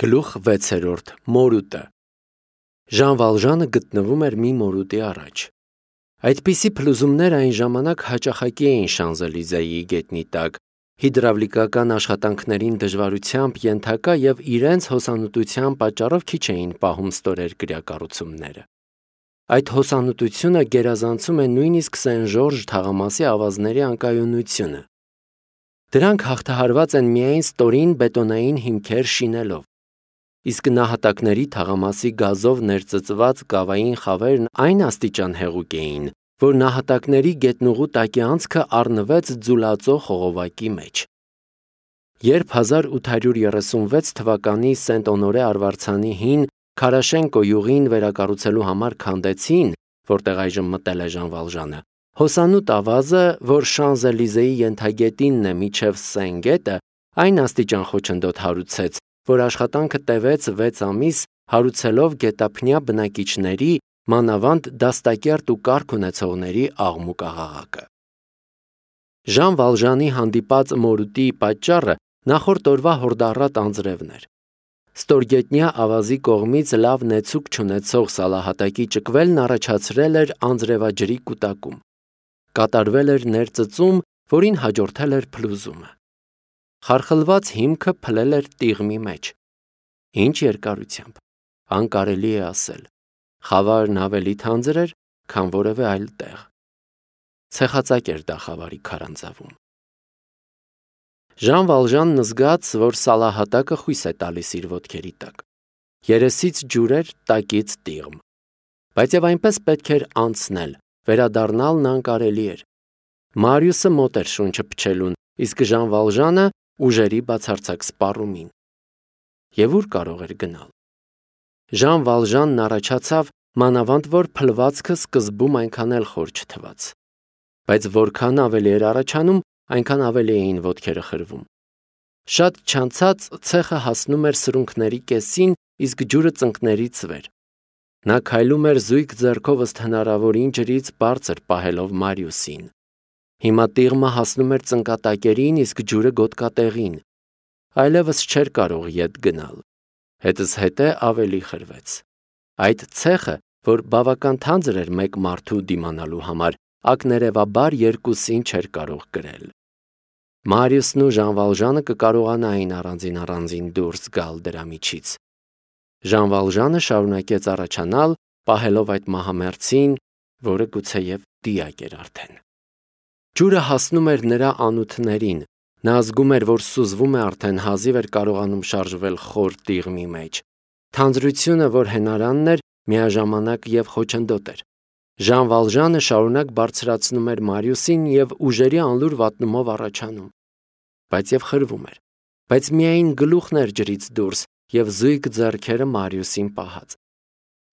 Գլուխ 6. Մորուտը Ժան Վալժանը գտնվում էր մի մորուտի առաջ։ Այդպիսի փլուզումներ այն ժամանակ հաճախակի էին Շանզելիզեի գետնի տակ, հիդրավլիկական աշխատանքներին դժվարությամբ ենթակա և իրենց հոսանուտության պատճառով քիչ էին պահում ստորերկրյա կառուցումները։ Այդ հոսանուտությունը գերազանցում է նույնիսկ Սեն Ժորժ թաղամասի ավազների անկայունությունը։ Դրանք հաղթահարված են միայն ստորին բետոնային հիմքեր շինելով։ Իսկ նահատակների թաղամասի գազով ներծծված կավային խավերն այն աստիճան հեղուկ էին, որ նահատակների գետնուղու տակի անցքը առնվեց ձուլածո խողովակի մեջ։ Երբ 1836 թվականի Սենտ-Օնորե արվարձանի հին Քարաշենկո յուղին վերակառուցելու համար քանդեցին, որտեղ այժմ մտել է Ժան Վալժանը, հոսանուտ ավազը, որ Շանզելիզեի ենթագետինն է մինչև Սեն գետը, այն աստիճան խոչընդոտ հարուցեց, որ աշխատանքը տևեց 6 ամիս, հարուցելով գետափնյա բնակիչների, մանավանդ դաստակերտ ու կարգ ունեցողների աղմուկ-աղաղակը։ Ժան Վալժանի հանդիպած մորուտի պատճառը նախորդ օրվա հորդառատ անձրևն էր։ Ստորգետնյա ավազի կողմից լավ նեցուկ չունեցող սալահատակի ճկվելն առաջացրել էր անձրևաջրի կուտակում։ Կատարվել էր ներծծում, որին հաջորդել էր փլուզումը։ Խարխլված հիմքը փլել էր տիղմի մեջ։ Ինչ երկարությամբ, անկարելի է ասել։ Խավարն ավելի թանձր էր, քան որևէ այլ տեղ։ Ցեխածակ էր դա խավարի քարանձավում։ Ժան Վալժանն զգաց, որ սալահատակը խույս է տալիս իր ոտքերի տակ։ Երեսից ջուր էր, տակից տիղմ։ Բայց եւ այնպես պետք էր անցնել, վերադառնալն անկարելի էր։ Մարիուսը մոտ էր շունչը փչելուն, իսկ Ժան Վալժանը ուժերի բացարձակ սպառումին։ Եվ ուր կարող էր գնալ։ Ժան Վալժանն առաջացավ, մանավանդ որ փլվածքը սկզբում այնքան էլ խոր չթվաց։ Բայց որքան ավելի էր առաջանում, այնքան ավելի էին ոտքերը խրվում։ Շատ չանցած ցեխը հասնում էր սրունքների կեսին, իսկ ջուրը ծնկներից վեր։ Նա քայլում էր զույգ ձեռքով ըստ հնարավորին ջրից բարձր պահելով Մարիուսին։ Հիմա տիղմը հասնում էր ծնկատակերին, իսկ ջուրը գոտկատեղին։ Այլևս չէր կարող ետ գնալ։ Հետզհետե ավելի խրվեց։ Այդ ցեխը, որ բավական թանձր էր մեկ մարդու դիմանալու համար, ակներևաբար երկուսին չէր կարող կրել։ Մարիուսն ու Ժան Վալժանը կկարողանային առանձին դուրս գալ դրա միջից։ Ժան Վալժանը շարունակեց առաջանալ, պահելով այդ մահամերձին, որը գուցեև դիակ էր արդեն։ Ջուրը հասնում էր նրա անութներին, նա զգում էր, որ սուզվում է արդեն, հազիվ էր կարողանում շարժվել խոր տիղմի մեջ։ Թանձրությունը, որ հենարանն էր, միաժամանակ և խոչընդոտ էր։ Ժան Վալժանը շարունակ բարձրացնում էր Մարիուսին և ուժերի անլուր վատնումով առաջանում։ Բայց և խրվում էր։ Բայց միայն գլուխն էր ջրից դուրս և զույգ ձեռքերը Մարիուսին պահած։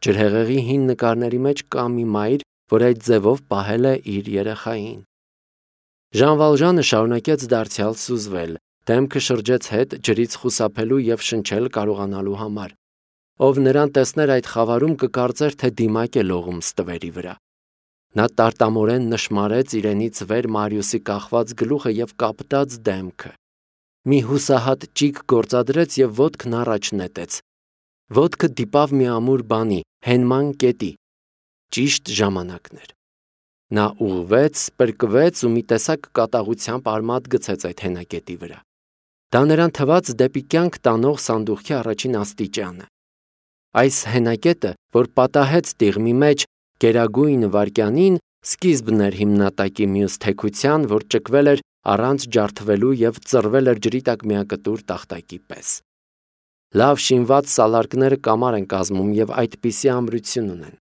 Ջրհեղեղի հին նկարների մեջ կա մի մայր, որ այդ ձևով պահել է իր երեխային։ Ժան Վալժանը շարունակեց դարձյալ սուզվել, դեմքը շրջեց հետ ջրից խուսափելու և շնչել կարողանալու համար։ Ով նրան տեսներ այդ խավարում կկարծեր, թե դիմակ է լողում ստվերի վրա։ Նա տարտամորեն նշմարեց իրենից վեր Մարիուսի կախված գլուխը և կապտած դեմքը։ Մի հուսահատ ճիգ գործադրեց և ոտքն առաջ նետեց։ Ոտքը դիպավ մի ամուր բանի, հենման կետի։ Ճիշտ ժամանակն էր։ Նա ուղղվեց, պրկվեց ու մի տեսակ կատաղությամբ արմատ գցեց այդ հենակետի վրա։ Դա նրան թվաց դեպի կյանք տանող սանդուղքի առաջին աստիճանը։ Այս հենակետը, որ պատահեց տիղմի մեջ գերագույն վայրկյանին, սկիզբն էր հիմնատակի մյուս թեքության, որ ճկվել էր առանց ջարդվելու և ծռվել էր ջրի տակ միակտուր տախտակի պես։ Լավ շինված սալարկները կամար են կազմում և այդպիսի ամրություն ունեն։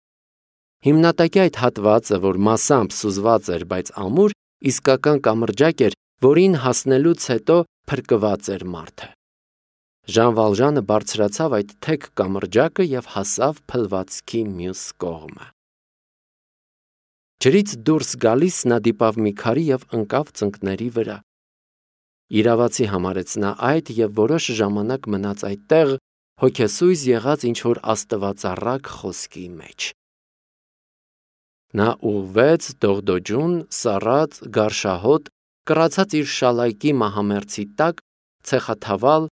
Հիմնատակի այդ հատվածը, որ մասամբ սուզված էր, բայց ամուր, իսկական կամրջակ էր, որին հասնելուց հետո փրկված էր մարդը։ Ժան Վալժանը բարձրացավ այդ թեք կամրջակը և հասավ փլվածքի մյուս կողմը։ Ջրից դուրս գալիս նա դիպավ մի քարի և ընկավ ծնկների վրա։ Իրավացի համարեց նա այդ և որոշ ժամանակ մնաց այդտեղ, հոգեսույզ եղած ինչ-որ աստվածառակ խոսքի մեջ։ Նա ուղղվեց դողդոջուն, սառած, գարշահոտ, կռացած իր շալայկի մահամերձի տակ, ցեխաթավալ,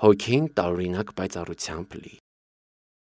Հոգին տարօրինակ պայծառությամբ լի։